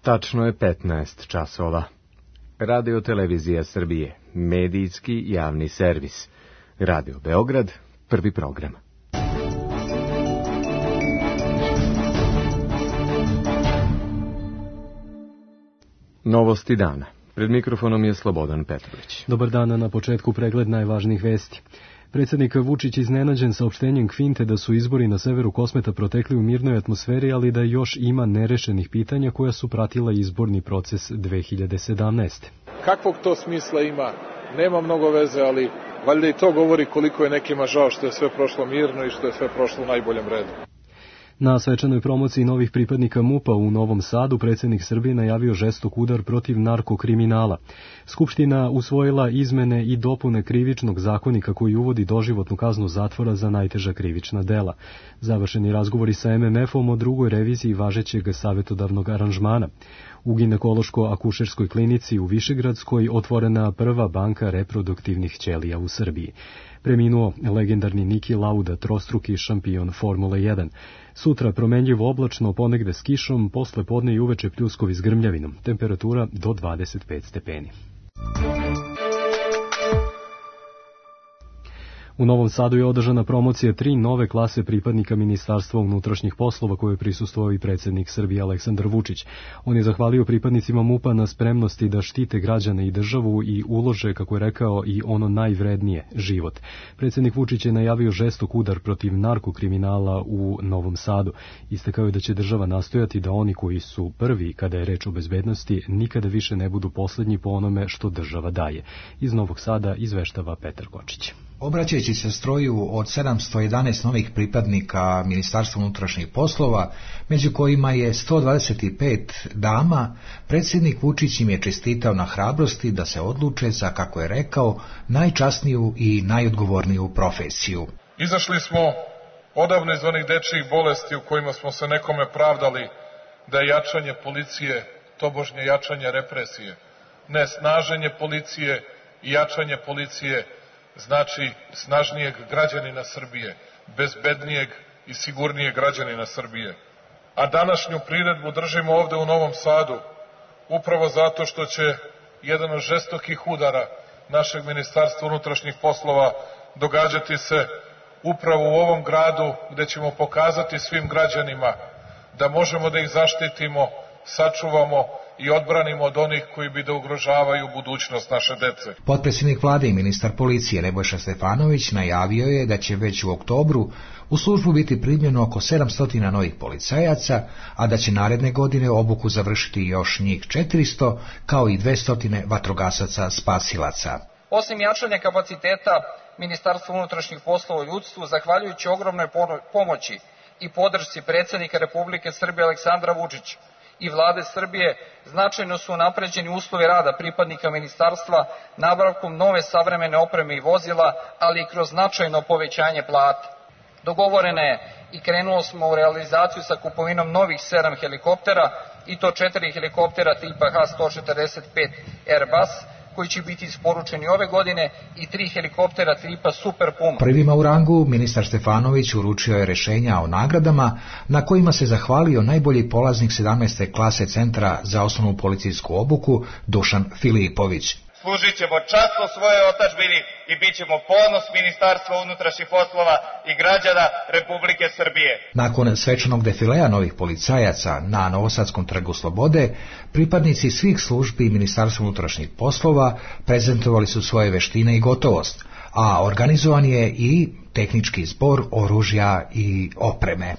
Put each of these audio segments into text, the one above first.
Tačno je 15 časova. Radio Televizija Srbije, medijski javni servis. Radio Beograd, prvi program. Novosti dana. Pred mikrofonom je Slobodan Petrović. Dobar dan, na početku pregled najvažnijih vesti. Predsjednik Vučić iznenađen saopštenjem Kvinte da su izbori na severu Kosmeta protekli u mirnoj atmosferi, ali da još ima nerešenih pitanja koja su pratila izborni proces 2017. Kakvog to smisla ima? Nema mnogo veze, ali valjda i to govori koliko je nekima žao što je sve prošlo mirno i što je sve prošlo u najboljem redu. Na svečanoj promociji novih pripadnika MUP-a u Novom Sadu predsjednik Srbije najavio žestok udar protiv narkokriminala. Skupština usvojila izmene i dopune krivičnog zakonika koji uvodi doživotnu kaznu zatvora za najteža krivična dela. Završeni razgovori sa MMF-om o drugoj reviziji važećeg savjetodavnog aranžmana. U ginekološko-akušerskoj klinici u Višegradskoj otvorena prva banka reproduktivnih ćelija u Srbiji. Preminuo legendarni Niki Lauda, trostruki šampion Formule 1. Sutra promenljivo oblačno, ponegde s kišom, posle podne i uveče pljuskovi s grmljavinom. Temperatura do 25 stepeni. U Novom Sadu je održana promocija 3 nove klase pripadnika Ministarstva unutrašnjih poslova koje je prisustvovao i predsjednik Srbije Aleksandar Vučić. On je zahvalio pripadnicima MUP-a na spremnosti da štite građane i državu i ulože, kako je rekao, i ono najvrednije, život. Predsjednik Vučić je najavio žestok udar protiv narkokriminala u Novom Sadu. Istakao je da će država nastojati da oni koji su prvi kada je reč o bezbednosti nikada više ne budu posljednji po onome što država daje. Iz Novog Sada izveštava Petar Kočić. Obraćajući se stroju od 711 novih pripadnika Ministarstva unutrašnjih poslova, među kojima je 125 dama, predsjednik Vučić im je čestitao na hrabrosti da se odluče za, kako je rekao, najčasniju i najodgovorniju profesiju. Izašli smo odavno iz onih dečjih bolesti u kojima smo se nekome pravdali da je jačanje policije tobožnje jačanje represije. Ne, snaženje policije i jačanje policije znači snažnijeg građanina Srbije, bezbednijeg i sigurnijeg građanina Srbije. A današnju priredbu držimo ovde u Novom Sadu, upravo zato što će jedan od žestokih udara našeg Ministarstva unutrašnjih poslova događati se upravo u ovom gradu, gde ćemo pokazati svim građanima da možemo da ih zaštitimo, sačuvamo i odbranimo od onih koji bi da ugrožavaju budućnost naše dece. Potpredsjednik vlade i ministar policije Nebojša Stefanović najavio je da će već u oktobru u službu biti primljeno oko 700 novih policajaca, a da će naredne godine obuku završiti još njih 400, kao i 200 vatrogasaca spasilaca. Osim jačanja kapaciteta Ministarstva unutrašnjih poslova u ljudstvu, zahvaljujući ogromnoj pomoći i podršci predsjednika Republike Srbije Aleksandra Vučića i vlade Srbije, značajno su unapređeni uslovi rada pripadnika ministarstva nabavkom nove savremene opreme i vozila, ali i kroz značajno povećanje plata. Dogovoreno je i krenulo smo u realizaciju sa kupovinom novih 7 helikoptera, i to 4 helikoptera tipa H-145 Airbus, koji će biti isporučeni ove godine, i 3 helikoptera tipa Super Puma. Prvima u rangu ministar Stefanović uručio je rešenja o nagradama na kojima se zahvalio najbolji polaznik 17. klase Centra za osnovnu policijsku obuku Dušan Filipović. Služit ćemo časno svojoj otadžbini i bit ćemo ponos Ministarstva unutrašnjih poslova i građana Republike Srbije. Nakon svečanog defilea novih policajaca na Novosadskom trgu Slobode, pripadnici svih službi Ministarstva unutrašnjih poslova prezentovali su svoje veštine i gotovost, a organizovan je i tehnički zbor oružja i opreme.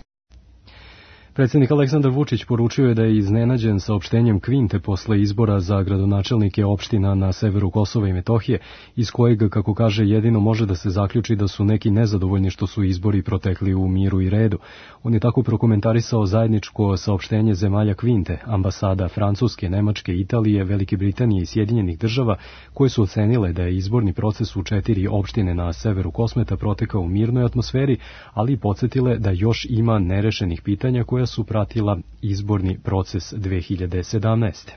Predsjednik Aleksandar Vučić poručio je da je iznenađen saopštenjem Kvinte posle izbora za gradonačelnike opština na severu Kosova i Metohije, iz kojeg, kako kaže, jedino može da se zaključi da su neki nezadovoljni što su izbori protekli u miru i redu. On je tako prokomentarisao zajedničko saopštenje zemalja Kvinte, ambasada Francuske, Nemačke, Italije, Velike Britanije i Sjedinjenih država, koje su ocenile da je izborni proces u 4 opštine na severu Kosmeta protekao u mirnoj atmosferi, ali i podsjetile da još ima nerešenih pitanja koja su pratila izborni proces 2017.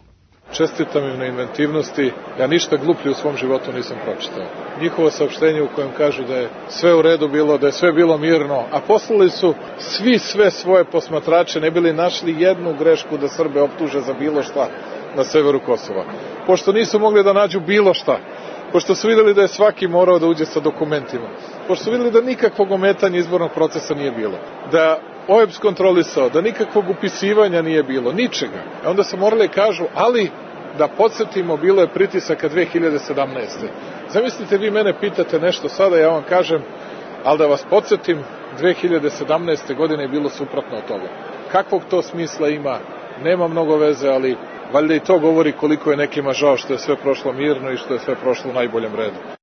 Čestitam im na inventivnosti, ja ništa gluplje u svom životu nisam pročitao. Njihovo saopštenje u kojem kažu da je sve u redu bilo, da je sve bilo mirno, a poslali su svi sve svoje posmatrače, ne bili našli jednu grešku da Srbe optuže za bilo šta na severu Kosova. Pošto nisu mogli da nađu bilo šta, pošto su videli da je svaki morao da uđe sa dokumentima, pošto su videli da nikakvog ometanja izbornog procesa nije bilo, da OEBS kontrolisao, da nikakvog upisivanja nije bilo, ničega. Onda su morali kažu, ali da podsjetimo, bilo je pritisaka 2017. Zamislite, vi mene pitate nešto sada, ja vam kažem, ali da vas podsjetim, 2017. godine je bilo suprotno od toga. Kakvog to smisla ima, nema mnogo veze, ali valjda i to govori koliko je nekima žao što je sve prošlo mirno i što je sve prošlo u najboljem redu.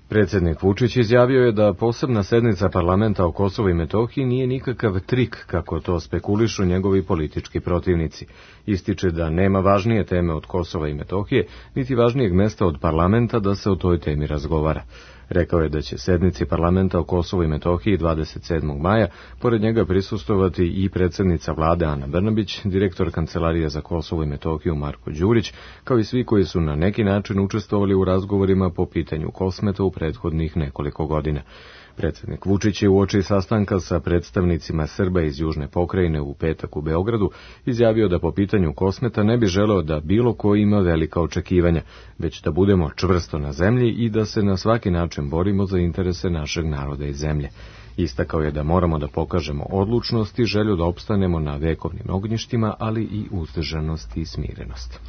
Predsjednik Vučić izjavio je da posebna sednica parlamenta o Kosovu i Metohiji nije nikakav trik, kako to spekulišu njegovi politički protivnici. Ističe da nema važnije teme od Kosova i Metohije, niti važnijeg mesta od parlamenta da se o toj temi razgovara. Rekao je da će sednici parlamenta o Kosovu i Metohiji 27. maja pored njega prisustvovati i predsjednica vlade Ana Brnabić, direktor Kancelarije za Kosovo i Metohiju Marko Đurić, kao i svi koji su na neki način učestvovali u razgovorima po pitanju Kosmeta u prethodnih nekoliko godina. Predsjednik Vučić je uoči sastanka sa predstavnicima Srba iz Južne pokrajine u petak u Beogradu izjavio da po pitanju Kosmeta ne bi želeo da bilo ko ima velika očekivanja, već da budemo čvrsto na zemlji i da se na svaki način borimo za interese našeg naroda i zemlje. Istakao je da moramo da pokažemo odlučnost i želju da opstanemo na vekovnim ognjištima, ali i uzdržanost i smirenost.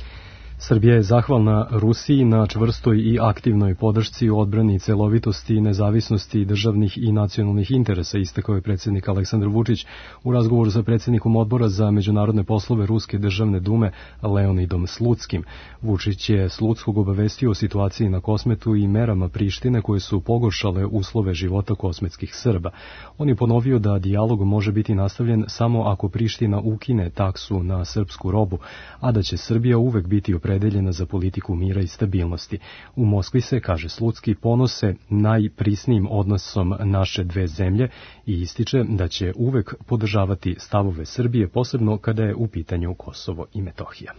Srbija je zahvalna Rusiji na čvrstoj i aktivnoj podršci u odbrani celovitosti i nezavisnosti državnih i nacionalnih interesa, istakao je predsjednik Aleksandar Vučić u razgovoru sa predsjednikom Odbora za međunarodne poslove Ruske državne dume Leonidom Slutskim. Vučić je Slutskog obavestio o situaciji na Kosmetu i merama Prištine koje su pogoršale uslove života kosmetskih Srba. On je ponovio da dijalog može biti nastavljen samo ako Priština ukine taksu na srpsku robu, a da će Srbija uvek biti opredeljena za politiku mira i stabilnosti. U Moskvi se, kaže Slutski, ponose najprisnijim odnosom naše dve zemlje i ističe da će uvek podržavati stavove Srbije, posebno kada je u pitanju Kosovo i Metohija.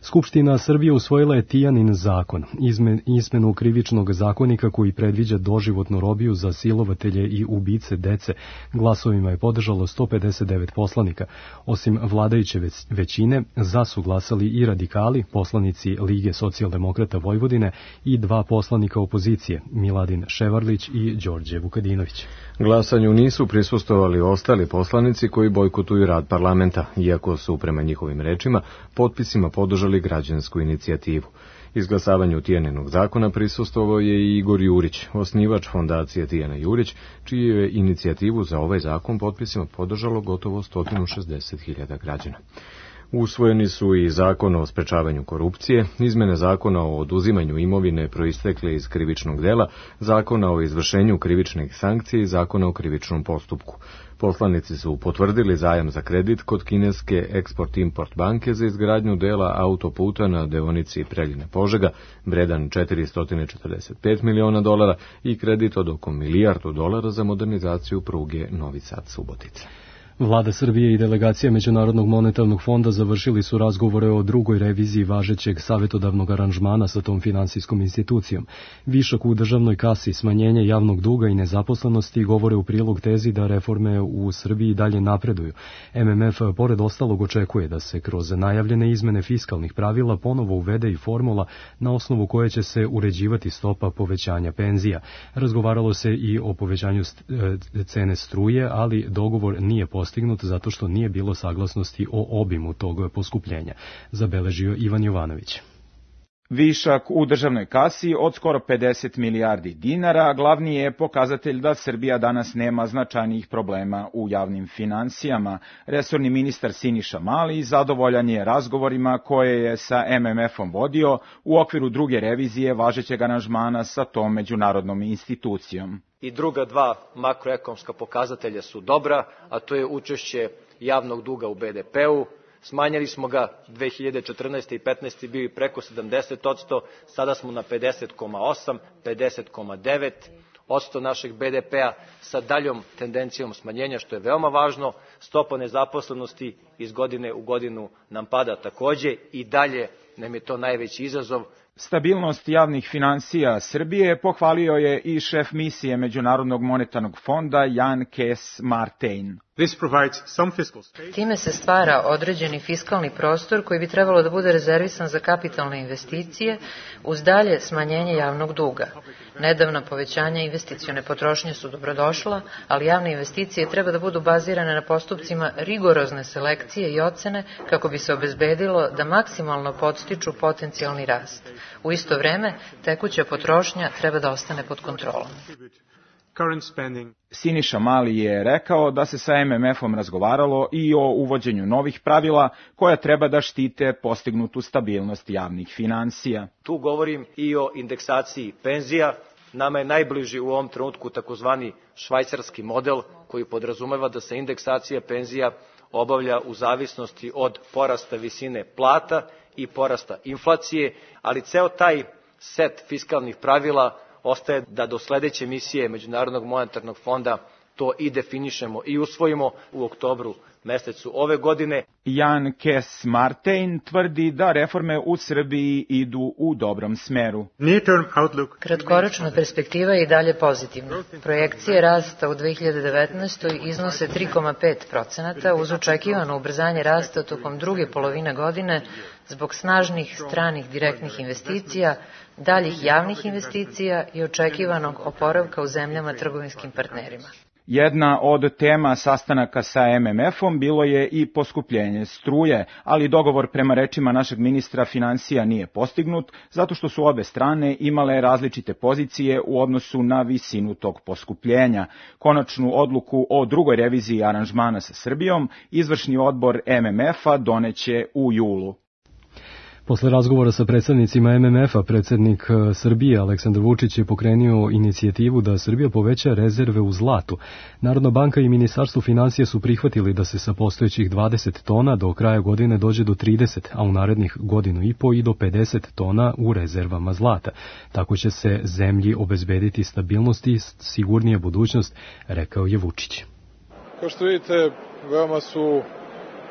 Skupština Srbije usvojila je Tijanin zakon, izmenu krivičnog zakonika koji predviđa doživotnu robiju za silovatelje i ubice dece. Glasovima je podržalo 159 poslanika. Osim vladajuće većine, za su glasali i radikali, poslanici Lige socijaldemokrata Vojvodine i dva poslanika opozicije, Miladin Ševarlić i Đorđe Vukadinović. Glasanju nisu prisustvovali ostali poslanici koji bojkotuju rad parlamenta, iako su, prema njihovim rečima, potpisima podržali građansku inicijativu. Izglasavanju Tijaninog zakona prisustvovao je i Igor Jurić, osnivač fondacije Tijana Jurić, čiju je inicijativu za ovaj zakon potpisima podržalo gotovo 160.000 građana. Usvojeni su i zakon o sprečavanju korupcije, izmene zakona o oduzimanju imovine proistekle iz krivičnog dela, zakona o izvršenju krivičnih sankcija i zakona o krivičnom postupku. Poslanici su potvrdili zajam za kredit kod kineske Export-Import banke za izgradnju dela autoputa na deonici Preljina-Požega, vredan $445 miliona i kredit od oko $1 milijardu za modernizaciju pruge Novi Sad-Subotica. Vlada Srbije i delegacija Međunarodnog monetarnog fonda završili su razgovore o drugoj reviziji važećeg savjetodavnog aranžmana sa tom finansijskom institucijom. Višak u državnoj kasi, smanjenje javnog duga i nezaposlenosti govore u prilog tezi da reforme u Srbiji dalje napreduju. MMF pored ostalog očekuje da se kroz najavljene izmene fiskalnih pravila ponovo uvede i formula na osnovu koje će se uređivati stopa povećanja penzija. Razgovaralo se i o povećanju cene struje, ali dogovor nije postignut zato što nije bilo saglasnosti o obimu tog poskupljenja, zabeležio Ivan Jovanović. Višak u državnoj kasi od skoro 50 milijardi dinara glavni je pokazatelj da Srbija danas nema značajnijih problema u javnim finansijama. Resorni ministar Siniša Mali zadovoljan je razgovorima koje je sa MMF-om vodio u okviru druge revizije važećeg aranžmana sa tom međunarodnom institucijom. I druga dva makroekonomska pokazatelja su dobra, a to je učešće javnog duga u BDP-u. Smanjili smo ga 2014. i 15. bili preko 70%, sada smo na 50,8, 50,9. 2,5% našeg BDP-a sa daljom tendencijom smanjenja, što je veoma važno. Stopa nezaposlenosti iz godine u godinu nam pada takođe i dalje nam je to najveći izazov. Stabilnost javnih finansija Srbije pohvalio je i šef misije Međunarodnog monetarnog fonda Jan Kees Martijn. Time se stvara određeni fiskalni prostor koji bi trebalo da bude rezervisan za kapitalne investicije uz dalje smanjenje javnog duga. Nedavna povećanja investicione potrošnje su dobrodošla, ali javne investicije treba da budu bazirane na postupcima rigorozne selekcije i ocene kako bi se obezbedilo da maksimalno podstiču potencijalni rast. U isto vreme, tekuća potrošnja treba da ostane pod kontrolom. Siniša Mali je rekao da se sa MMF-om razgovaralo i o uvođenju novih pravila koja treba da štite postignutu stabilnost javnih finansija. Tu govorim i o indeksaciji penzija. Nama je najbliži u ovom trenutku takozvani švajcarski model koji podrazumeva da se indeksacija penzija obavlja u zavisnosti od porasta visine plata i porasta inflacije, ali ceo taj set fiskalnih pravila ostaje da do sledeće misije Međunarodnog monetarnog fonda to i definišemo i usvojimo u oktobru mesecu ove godine. Jan Kees Martijn tvrdi da reforme u Srbiji idu u dobrom smeru. Kratkoročna perspektiva je i dalje pozitivna. Projekcije rasta u 2019. iznose 3,5% uz očekivano ubrzanje rasta tokom druge polovine godine zbog snažnih stranih direktnih investicija, daljih javnih investicija i očekivanog oporavka u zemljama trgovinskim partnerima. Jedna od tema sastanaka sa MMF-om bilo je i poskupljenje struje, ali dogovor prema rečima našeg ministra finansija nije postignut, zato što su obe strane imale različite pozicije u odnosu na visinu tog poskupljenja. Konačnu odluku o drugoj reviziji aranžmana sa Srbijom izvršni odbor MMF-a doneće u julu. Posle razgovora sa predstavnicima MMF-a, predsednik Srbije Aleksandar Vučić je pokrenuo inicijativu da Srbija poveća rezerve u zlatu. Narodna banka i Ministarstvo finansija su prihvatili da se sa postojećih 20 tona do kraja godine dođe do 30, a u narednih godinu i po i do 50 tona u rezervama zlata. Tako će se zemlji obezbediti stabilnost i sigurnija budućnost, rekao je Vučić. Kao što vidite, veoma su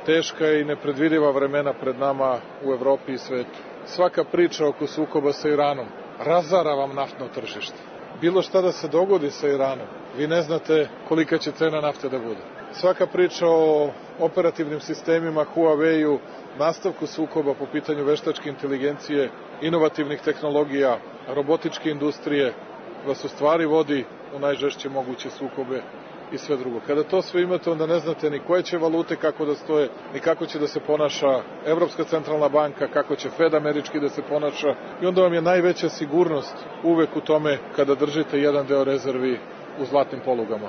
teška i nepredvidiva vremena pred nama u Evropi i svetu. Svaka priča oko sukoba sa Iranom razara vam naftno tržište. Bilo šta da se dogodi sa Iranom, vi ne znate kolika će cena nafte da bude. Svaka priča o operativnim sistemima Huawei-u, nastavku sukoba po pitanju veštačke inteligencije, inovativnih tehnologija, robotičke industrije, vas u stvari vodi u najžešće moguće sukobe i sve drugo. Kada to sve imate, onda ne znate ni koje će valute kako da stoje, ni kako će da se ponaša Evropska centralna banka, kako će Fed američki da se ponaša i onda vam je najveća sigurnost uvek u tome kada držite jedan deo rezervi u zlatnim polugama.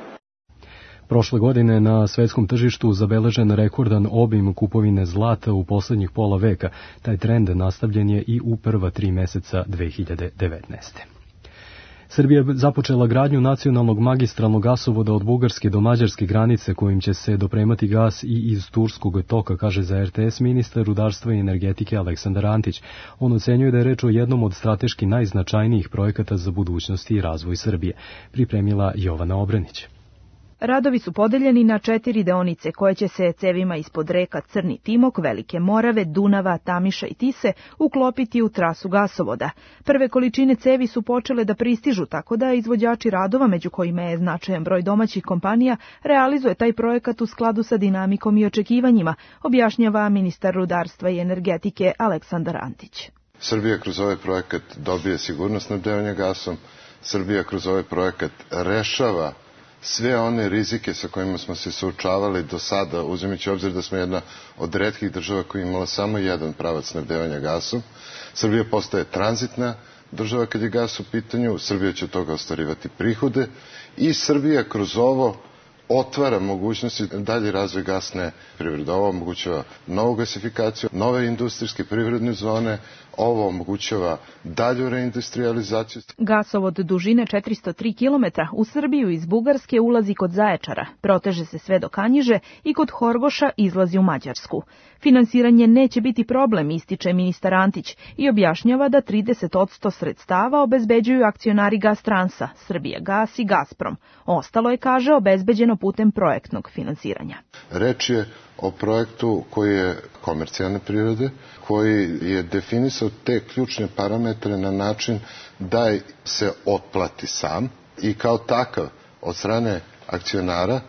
Prošle godine na svetskom tržištu zabeležen rekordan obim kupovine zlata u poslednjih pola veka. Taj trend nastavljen je i u prva 3 meseca 2019. Srbija je započela gradnju nacionalnog magistralnog gasovoda od bugarske do mađarske granice kojim će se dopremati gas i iz Turskog toka, kaže za RTS ministar rudarstva i energetike Aleksandar Antić. On ocenjuje da je reč o jednom od strateški najznačajnijih projekata za budućnost i razvoj Srbije. Pripremila Jovana Obrenić. Radovi su podeljeni na 4 deonice koje će se cevima ispod reka Crni Timok, Velike Morave, Dunava, Tamiša i Tise uklopiti u trasu gasovoda. Prve količine cevi su počele da pristižu, tako da izvođači radova, među kojima je značajan broj domaćih kompanija, realizuje taj projekat u skladu sa dinamikom i očekivanjima, objašnjava ministar rudarstva i energetike Aleksandar Antić. Srbija kroz ovaj projekat dobije sigurnost snabdevanja gasom, Srbija kroz ovaj projekat rešava sve one rizike sa kojima smo se suočavali do sada, uzimajući obzir da smo jedna od retkih država koja je imala samo jedan pravac snabdevanja gasom. Srbija postaje tranzitna država kad je gas u pitanju, Srbija će od toga ostvarivati prihode i Srbija kroz ovo otvara mogućnosti dalje razvoj gasne privrede. Ovo omogućava novu gasifikaciju, nove industrijske privredne zone, Ovo omogućava dalju reindustrializaciju. Gasovod dužine 403 km u Srbiju iz Bugarske ulazi kod Zaječara, proteže se sve do Kanjiže i kod Horgoša izlazi u Mađarsku. Finansiranje neće biti problem, ističe ministar Antić i objašnjava da 30% sredstava obezbeđuju akcionari Gastransa, Srbijagas i Gazprom. Ostalo je, kaže, obezbeđeno putem projektnog finansiranja. Reč je o projektu koji je komercijalne prirode, koji je definisao te ključne parametre na način da se otplati sam i kao takav od strane akcionara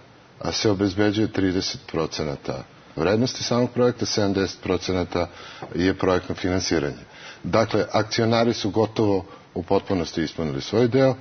se obezbeđuje 30% vrednosti samog projekta, 70% je projektno finansiranje. Dakle, akcionari su gotovo u potpunosti ispunili svoj deo.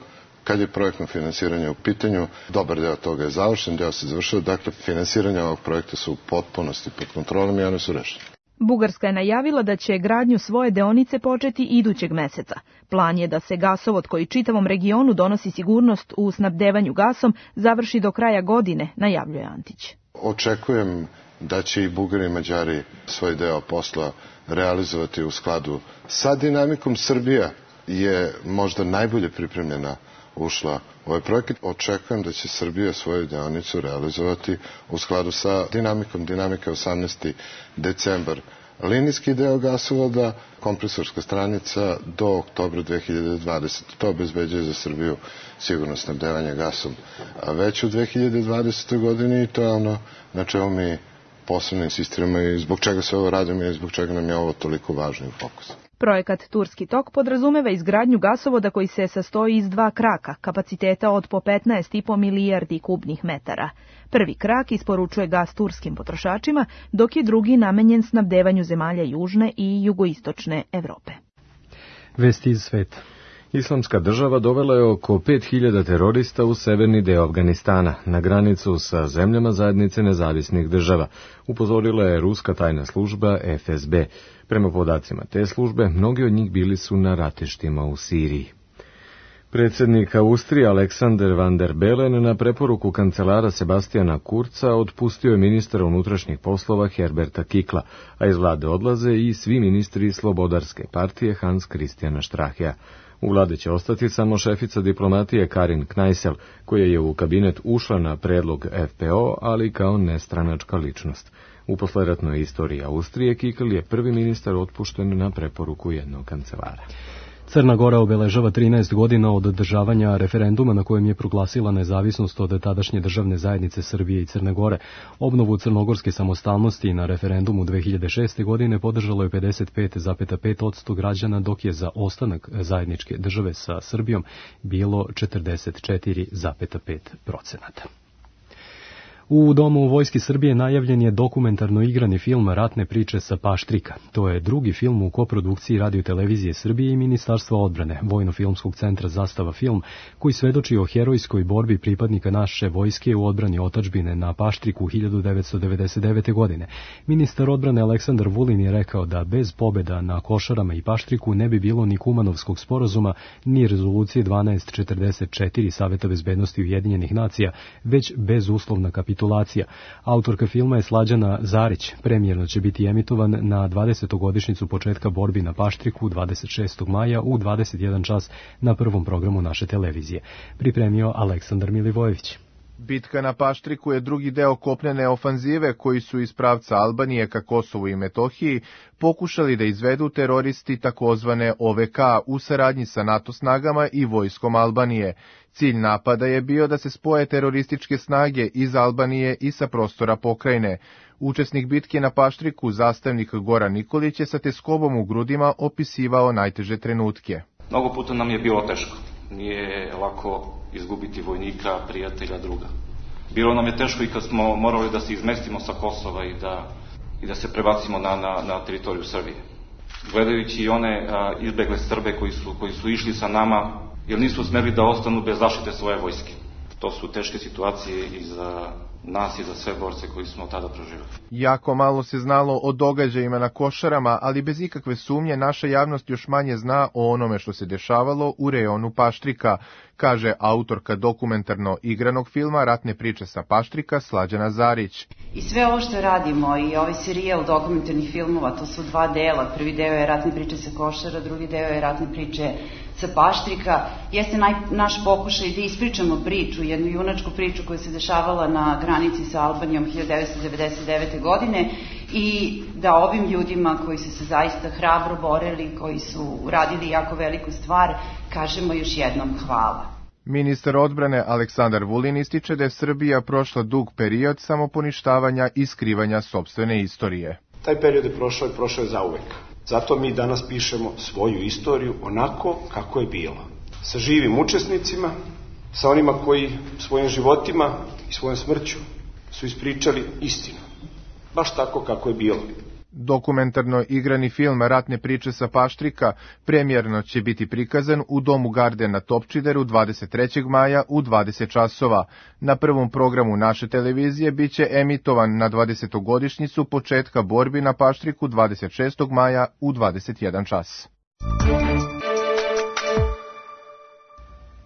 Kad je projektno finansiranje u pitanju, dobar deo toga je završen, deo se završio, dakle, finansiranje ovog projekta su u potpunosti pod kontrolom i one su rešene. Bugarska je najavila da će gradnju svoje deonice početi idućeg meseca. Plan je da se gasovod koji čitavom regionu donosi sigurnost u snabdevanju gasom završi do kraja godine, najavljuje Antić. Očekujem da će i Bugari i Mađari svoj deo posla realizovati u skladu sa dinamikom. Srbija je možda najbolje pripremljena ušla u ovaj projekat. Očekujem da će Srbija svoju deonicu realizovati u skladu sa dinamikom. Dinamika je 18. decembar. Linijski deo gasovoda, kompresorska stranica do oktobra 2020. To obezbeđuje za Srbiju sigurno snabdevanje gasom već u 2020. godini i to je ono na čemu mi posebno insistiramo i zbog čega se ovo radimo i zbog čega nam je ovo toliko važno u fokusu. Projekat Turski tok podrazumeva izgradnju gasovoda koji se sastoji iz 2 kraka, kapaciteta od po 15,5 milijardi kubnih metara. Prvi krak isporučuje gas turskim potrošačima, dok je drugi namenjen snabdevanju zemalja južne i jugoistočne Evrope. Vesti iz sveta. Islamska država dovela je oko 5000 terorista u severni deo Afganistana, na granicu sa zemljama zajednice nezavisnih država, upozorila je ruska tajna služba FSB. Prema podacima te službe, mnogi od njih bili su na ratištima u Siriji. Predsjednik Austrije Alexander van der Bellen na preporuku kancelara Sebastijana Kurza otpustio je ministra unutrašnjih poslova Herberta Kikla, a iz vlade odlaze i svi ministri Slobodarske partije Hans Christiana Strachea. U vlade će ostati samo šefica diplomatije Karin Kneissel, koja je u kabinet ušla na predlog FPO, ali kao nestranačka ličnost. U posleratnoj istoriji Austrije Kikl je prvi ministar otpušten na preporuku jednog kancelara. Crna Gora obeležava 13 godina od održavanja referenduma na kojem je proglasila nezavisnost od tadašnje državne zajednice Srbije i Crne Gore. Obnovu crnogorske samostalnosti na referendumu 2006. godine podržalo je 55,5% građana, dok je za ostanak zajedničke države sa Srbijom bilo 44,5%. U Domu Vojske Srbije najavljen je dokumentarno igrani film Ratne priče sa Paštrika. To je drugi film u koprodukciji Radio-televizije Srbije i Ministarstva odbrane, Vojno-filmskog centra Zastava film, koji svedoči o herojskoj borbi pripadnika naše vojske u odbrani otadžbine na Paštriku 1999. godine. Ministar odbrane Aleksandar Vulin je rekao da bez pobjeda na Košarama i Paštriku ne bi bilo ni Kumanovskog sporazuma, ni rezolucije 1244 Saveta bezbednosti Ujedinjenih nacija, već bezuslovna kapitulacija. Autorka filma je Slađana Zarić. Premijerno će biti emitovan na 20. godišnjicu početka borbi na Paštriku 26. maja u 21 čas na prvom programu naše televizije. Pripremio Aleksandar Milivojević. Bitka na Paštriku je drugi deo kopnene ofanzive koji su iz pravca Albanije ka Kosovu i Metohiji pokušali da izvedu teroristi takozvane OVK u saradnji sa NATO snagama i vojskom Albanije. Cilj napada je bio da se spoje terorističke snage iz Albanije i sa prostora pokrajine. Učesnik bitke na Paštriku, zastavnik Goran Nikolić, je sa teskobom u grudima opisivao najteže trenutke. Mnogo puta nam je bilo teško. Nije lako izgubiti vojnika, prijatelja, druga. Bilo nam je teško i kad smo morali da se izmestimo sa Kosova i da se prebacimo na teritoriju Srbije. Gledajući i one izbegle Srbe koji su išli sa nama, jer nisu smeli da ostanu bez zaštite svoje vojske. To su teške situacije i za nas i za sve borce koji smo tada proživali. Jako malo se znalo o događajima na Košarama, ali bez ikakve sumnje naša javnost još manje zna o onome što se dešavalo u rejonu Paštrika, kaže autorka dokumentarno igranog filma Ratne priče sa Paštrika Slađana Zarić. I sve ovo što radimo i ovaj serijal dokumentarnih filmova, to su 2 dela. Prvi deo je Ratne priče sa Košara, drugi deo je Ratne priče sa Paštrika. Jeste naš pokušaj da ispričamo priču, jednu junačku priču koja se dešavala na granici sa Albanijom 1999. godine i da ovim ljudima koji su se zaista hrabro borili, koji su uradili jako veliku stvar, kažemo još jednom hvala. Ministar odbrane Aleksandar Vulin ističe da je Srbija prošla dug period samoponištavanja i skrivanja sopstvene istorije. Taj period je prošao je zauvek. Zato mi danas pišemo svoju istoriju onako kako je bila. Sa živim učesnicima, sa onima koji svojim životima i svojom smrću su ispričali istinu. Baš tako kako je bilo. Dokumentarno igrani film Ratne priče sa Paštrika premijerno će biti prikazan u Domu Garde na Topčideru 23. maja u 20 časova. Na prvom programu naše televizije biće emitovan na 20-godišnjicu početka borbi na Paštriku 26. maja u 21 čas.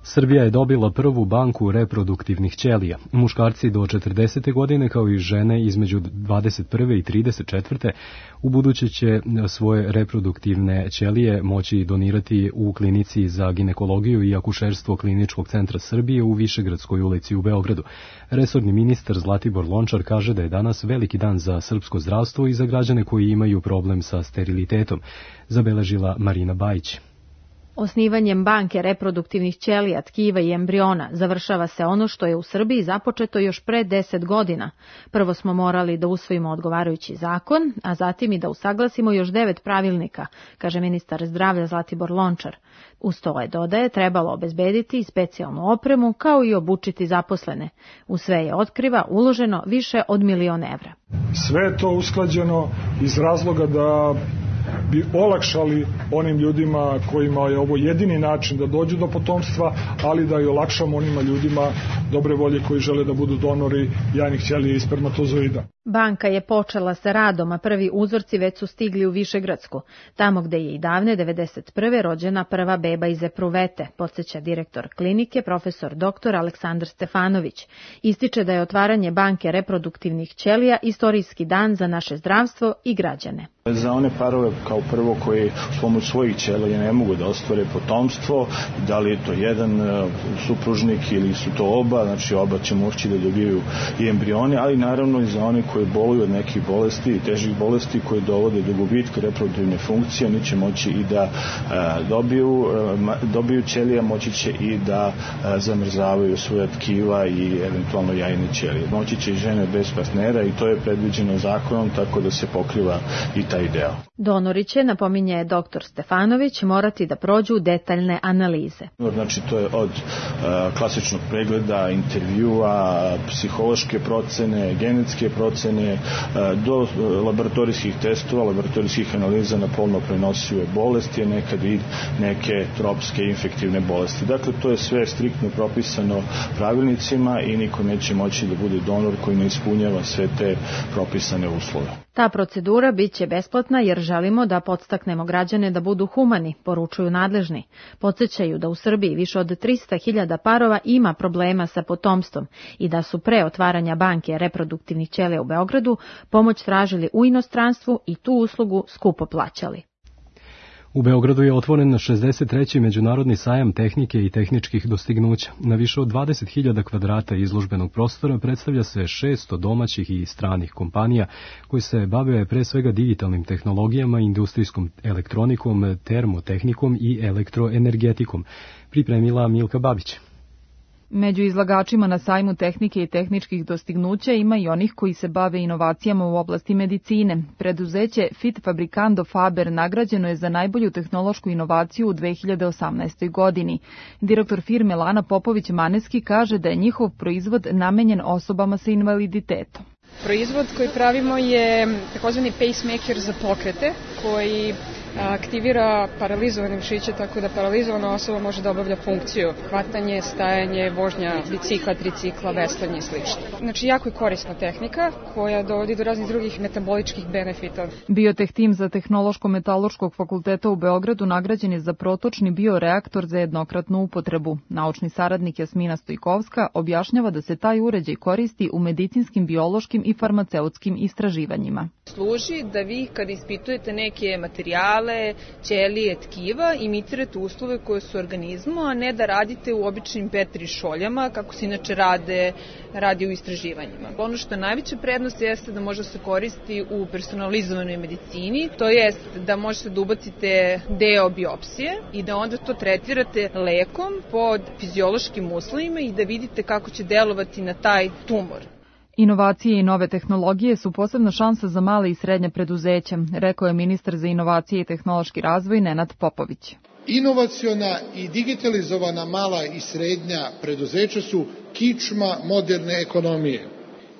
Srbija je dobila prvu banku reproduktivnih ćelija. Muškarci do 40. godine kao i žene između 21. i 34. u buduće će svoje reproduktivne ćelije moći donirati u klinici za ginekologiju i akušerstvo Kliničkog centra Srbije u Višegradskoj ulici u Beogradu. Resorni ministar Zlatibor Lončar kaže da je danas veliki dan za srpsko zdravstvo i za građane koji imaju problem sa sterilitetom, zabeležila Marina Bajić. Osnivanjem banke reproduktivnih ćelija, tkiva i embriona završava se ono što je u Srbiji započeto još pre 10 godina. Prvo smo morali da usvojimo odgovarajući zakon, a zatim i da usaglasimo još 9 pravilnika, kaže ministar zdravlja Zlatibor Lončar. Uz to je, dodaje, trebalo obezbediti i specijalnu opremu kao i obučiti zaposlene. U sve je, otkriva, uloženo više od 1 milion evra. Sve je to usklađeno iz razloga da bi olakšali onim ljudima kojima je ovo jedini način da dođu do potomstva, ali da i olakšamo onima ljudima dobre volje koji žele da budu donori jajnih ćelija i spermatozoida. Banka je počela sa radom, a prvi uzorci već su stigli u Višegradsku, tamo gde je i davne 1991. rođena prva beba iz epruvete, podsjeća direktor klinike, profesor dr. Aleksandar Stefanović. Ističe da je otvaranje banke reproduktivnih ćelija istorijski dan za naše zdravstvo i građane. Za one parove kao prvo koji s pomoć svojih ćelija ne mogu da ostvare potomstvo, da li je to jedan supružnik ili su to oba, znači oba će moći da dobiju i embrione, ali naravno i za one koji boluju od nekih bolesti i težih bolesti koji dovode do gubitka reproduktivne funkcije, oni će moći i da dobiju ćelija, moći će i da zamrzavaju svoja tkiva i eventualno jajne ćelije. Moći će i žene bez partnera i to je predviđeno zakonom, tako da se pokriva i taj deo. Donori će, napominje dr. Stefanović, morati da prođu detaljne analize. Znači to je od klasičnog pregleda, intervjua, psihološke procene, genetske procene, do laboratorijskih testova, laboratorijskih analiza na polno prenosive bolesti, nekad i neke tropske infektivne bolesti. Dakle, to je sve striktno propisano pravilnicima i niko neće moći da bude donor koji ne ispunjava sve te propisane uslove. Ta procedura bit će besplatna jer želimo da podstaknemo građane da budu humani, poručuju nadležni. Podsjećaju da u Srbiji više od 300.000 parova ima problema sa potomstvom i da su pre otvaranja banke reproduktivnih ćelija u Beogradu pomoć tražili u inostranstvu i tu uslugu skupo plaćali. U Beogradu je otvoren 63. međunarodni sajam tehnike i tehničkih dostignuća. Na više od 20.000 kvadrata izložbenog prostora predstavlja se 600 domaćih i stranih kompanija koje se bave pre svega digitalnim tehnologijama, industrijskom elektronikom, termotehnikom i elektroenergetikom, pripremila Milka Babić. Među izlagačima na sajmu tehnike i tehničkih dostignuća ima i onih koji se bave inovacijama u oblasti medicine. Preduzeće Fit Fabricando Faber nagrađeno je za najbolju tehnološku inovaciju u 2018. godini. Direktor firme Lana Popović-Maneski kaže da je njihov proizvod namenjen osobama sa invaliditetom. Proizvod koji pravimo je takozvani pacemaker za pokrete, koji aktivira paralizovane mišiće, tako da paralizovana osoba može da obavlja funkciju hvatanje, stajanje, vožnja bicikla, tricikla, veslanje i sl. Znači, jako je korisna tehnika koja dovodi do raznih drugih metaboličkih benefita. Bioteh tim za Tehnološko-metaloškog fakulteta u Beogradu nagrađen je za protočni bioreaktor za jednokratnu upotrebu. Naučni saradnik Jasmina Stojkovska objašnjava da se taj uređaj koristi u medicinskim, biološkim i farmaceutskim istraživanjima. Služi da vi kad ispitujete neke materijale, ćelije, tkiva, imitirate uslove koje su u organizmu, a ne da radite u običnim Petri šoljama, kako se inače radi u istraživanjima. Ono što je najveća prednost jeste da može se koristi u personalizovanoj medicini, to jest da možete da ubacite deo biopsije i da onda to tretirate lekom pod fiziološkim uslovima i da vidite kako će delovati na taj tumor. Inovacije i nove tehnologije su posebna šansa za male i srednje preduzeća, rekao je ministar za inovacije i tehnološki razvoj Nenad Popović. Inovaciona i digitalizovana mala i srednja preduzeća su kičma moderne ekonomije.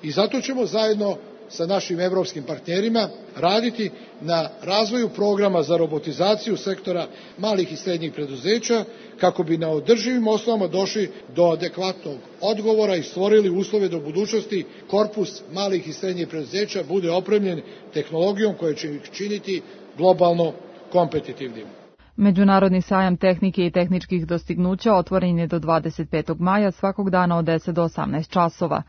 I zato ćemo zajedno sa našim evropskim partnerima raditi na razvoju programa za robotizaciju sektora malih i srednjih preduzeća kako bi na održivim osnovama došli do adekvatnog odgovora i stvorili uslove da u budućnosti korpus malih i srednjih preduzeća bude opremljen tehnologijom koja će ih činiti globalno kompetitivnim. Međunarodni sajam tehnike i tehničkih dostignuća otvoren je do 25. maja svakog dana od 10 do 18 časova.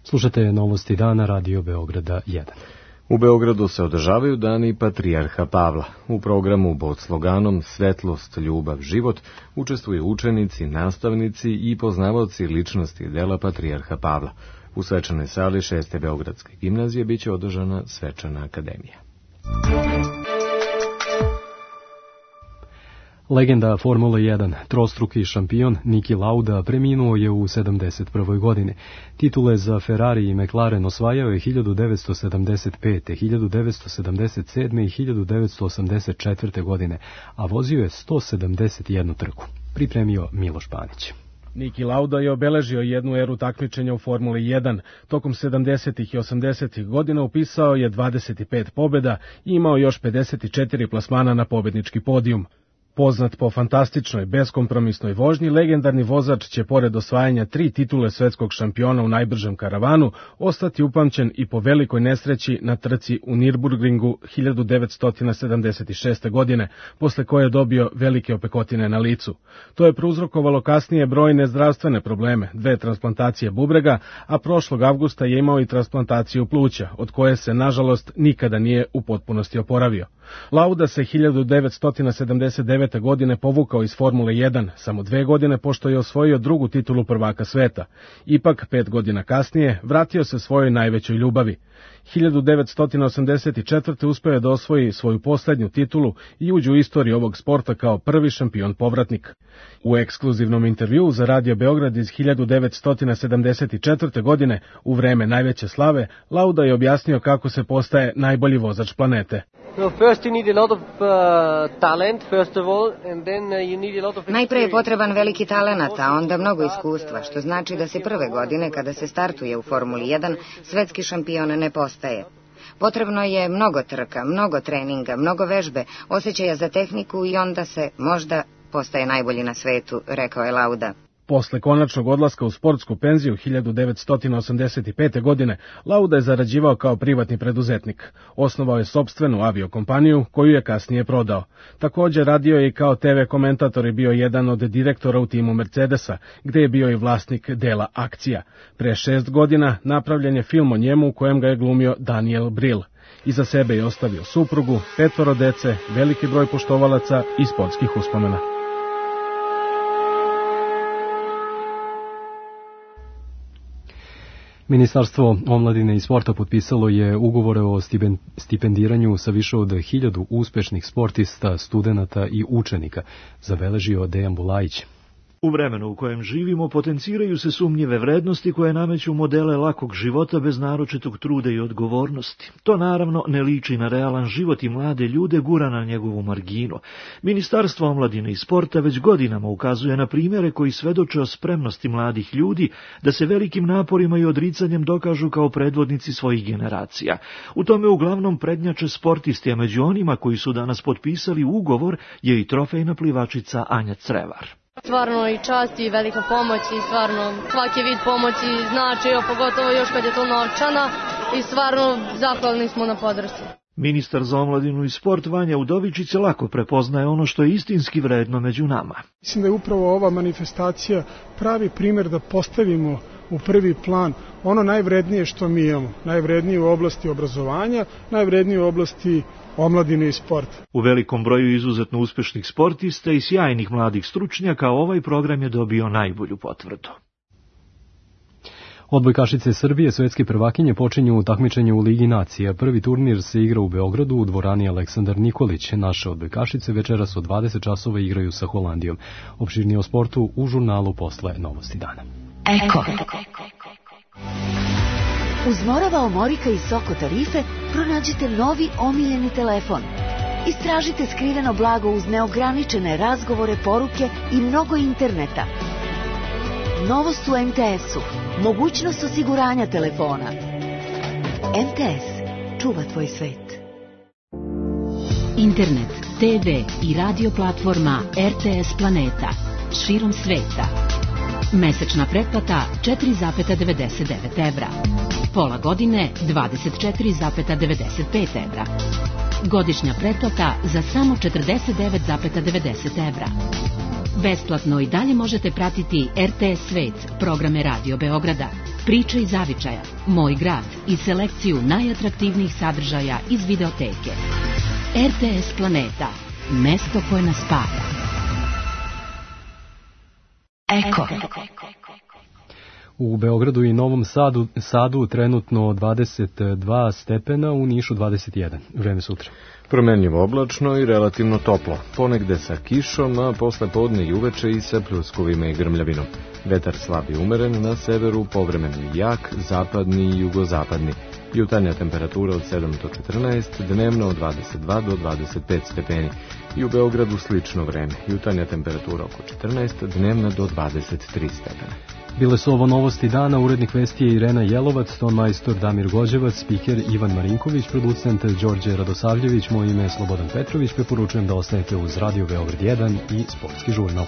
Slušate novosti dana Radio Beograda 1. U Beogradu se održavaju dani Patrijarha Pavla. U programu pod sloganom Svetlost, ljubav, život učestvuju učenici, nastavnici i poznavaoci ličnosti dela Patrijarha Pavla. U svečanoj sali 6. Beogradske gimnazije biće održana svečana akademija. Legenda Formule 1, trostruki šampion Niki Lauda preminuo je u 71. godini. Titule za Ferrari i McLaren osvajao je 1975., 1977. i 1984. godine, a vozio je 171 trku. Pripremio Miloš Panić. Niki Lauda je obeležio jednu eru takmičenja u Formuli 1. Tokom 70. i 80. godina upisao je 25 pobjeda i imao još 54 plasmana na pobjednički podijum. Poznat po fantastičnoj, beskompromisnoj vožnji, legendarni vozač će pored osvajanja 3 titule svetskog šampiona u najbržem karavanu ostati upamćen i po velikoj nesreći na trci u Nürburgringu 1976. godine, posle koje je dobio velike opekotine na licu. To je prouzrokovalo kasnije brojne zdravstvene probleme, 2 transplantacije bubrega, a prošlog avgusta je imao i transplantaciju pluća, od koje se, nažalost, nikada nije u potpunosti oporavio. Lauda se 1979. godine povukao iz Formule 1, samo 2 godine pošto je osvojio drugu titulu prvaka sveta. Ipak, 5 godina kasnije, vratio se svojoj najvećoj ljubavi. 1984. uspeo je da osvoji svoju posljednju titulu i uđe u istoriju ovog sporta kao prvi šampion povratnik. U ekskluzivnom intervjuu za Radio Beograd iz 1974. godine, u vreme najveće slave, Lauda je objasnio kako se postaje najbolji vozač planete. Najpre je potreban veliki talenat, a onda mnogo iskustva, što znači da se prve godine kada se startuje u Formuli 1 svetski šampion ne postaje. Potrebno je mnogo trka, mnogo treninga, mnogo vežbe, osjećaja za tehniku i onda se možda postaje najbolji na svetu, rekao je Lauda. Posle konačnog odlaska u sportsku penziju 1985. godine, Lauda je zarađivao kao privatni preduzetnik. Osnovao je sopstvenu aviokompaniju, koju je kasnije prodao. Također radio je i kao TV komentator i bio jedan od direktora u timu Mercedesa, gde je bio i vlasnik dela akcija. Pre 6 godina napravljen je film o njemu u kojem ga je glumio Daniel Brühl. Iza sebe je ostavio suprugu, 5 dece, veliki broj poštovalaca i sportskih uspomena. Ministarstvo omladine i sporta potpisalo je ugovore o stipendiranju sa više od 1000 uspešnih sportista, studenata i učenika, zabeležio Dejan Bulajić. U vremenu u kojem živimo potenciraju se sumnjive vrednosti koje nameću modele lakog života bez naročitog truda i odgovornosti. To naravno ne liči na realan život i mlade ljude gura na njegovu marginu. Ministarstvo omladine i sporta već godinama ukazuje na primjere koji svedoče o spremnosti mladih ljudi da se velikim naporima i odricanjem dokažu kao predvodnici svojih generacija. U tome uglavnom prednjače sportisti, a među onima koji su danas potpisali ugovor je i trofejna plivačica Anja Crevar. Stvarno i čast i velika pomoć i stvarno svaki vid pomoći znači, pogotovo još kad je to novčana i stvarno zahvalni smo na podršci. Ministar za omladinu i sport Vanja Udovičić lako prepoznaje ono što je istinski vredno među nama. Mislim da je upravo ova manifestacija pravi primjer da postavimo u prvi plan ono najvrednije što mi imamo, najvrednije u oblasti obrazovanja, najvrednije u oblasti omladine i sporta. U velikom broju izuzetno uspešnih sportista i sjajnih mladih stručnjaka ovaj program je dobio najbolju potvrdu. Odbojkašice Srbije, svetske prvakinje, počinju takmičenje u Ligi nacija. Prvi turnir se igra u Beogradu u dvorani Aleksandar Nikolić. Naše odbojkašice večeras od 20 časova igraju sa Holandijom. Opširnije o sportu u žurnalu posle Novosti dana. Eko. Uz Morava, Omorika i Soko tarife pronađite novi omiljeni telefon. Istražite skriveno blago uz neograničene razgovore, poruke i mnogo interneta. Novost u MTS-u. Mogućnost osiguranja telefona. MTS. Čuva tvoj svet. Internet, TV i radio platforma RTS Planeta. Širom sveta. Mesečna pretplata 4,99 evra. Pola godine 24,95 evra. Godišnja pretplata za samo 49,90 evra. Besplatno i dalje možete pratiti RTS Svet, programe Radio Beograda, Priče iz zavičaja, Moj grad i selekciju najatraktivnijih sadržaja iz videoteke. RTS Planeta, mesto koje nas spaja. Eko. U Beogradu i Novom Sadu trenutno 22 stepena, u Nišu 21. Vreme sutra. Promenljivo oblačno i relativno toplo. Ponegde sa kišom, a posle podne i uveče i sa pljuskovima i grmljavinom. Vetar slab i umeren, na severu povremeno jak, zapadni i jugozapadni. Jutarnja temperatura od 7 do 14, dnevno od 22 do 25 stepeni. I u Beogradu slično vreme. Jutarnja temperatura oko 14, dnevna do 23 stepena. Bile su ovo Novosti dana, urednik vesti je Irena Jelovac, tonmajstor Damir Gođevac, spiker Ivan Marinković, producent Đorđe Radosavljević, moje ime je Slobodan Petrović, preporučujem da ostanete uz Radio Beograd 1 i Sportski žurnal.